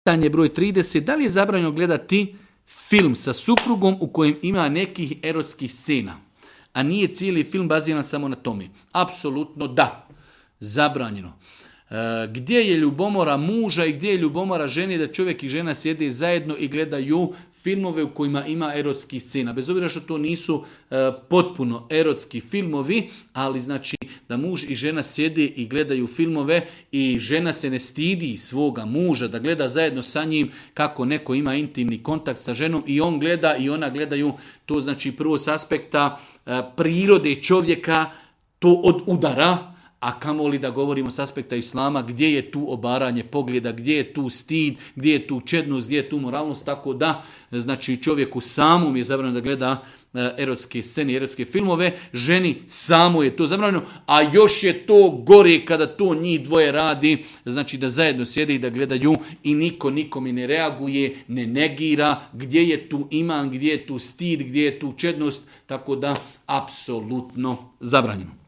Pitanje broj 30. Da li je zabranjeno gledati film sa suprugom u kojem ima nekih erotskih scena, a nije cijeli film baziran samo na tome? Apsolutno da. Zabranjeno. Gdje je ljubomora muža i gdje je ljubomora žene da čovjek i žena sjede zajedno i gledaju filmove u kojima ima erotskih scena. Bez obzira što to nisu potpuno erotski filmovi, ali znači da muž i žena sjede i gledaju filmove i žena se ne stidi svoga muža da gleda zajedno sa njim kako neko ima intimni kontakt sa ženom i on gleda i ona gledaju. To znači prvo s aspekta prirode čovjeka to od udara, a kamoli da govorimo s aspekta islama gdje je tu obaranje pogleda, gdje je tu stid, gdje je tu čednost, gdje je tu moralnost, tako da znači čovjeku samom je zabranjeno da gleda erotske scene, erotske filmove, ženi samo je to zabranjeno, a još je to gore kada to njih dvoje radi, znači da zajedno sjede i da gledaju i niko nikome ne reaguje, ne negira, gdje je tu iman, gdje je tu stid, gdje je tu čednost, tako da apsolutno zabranjeno.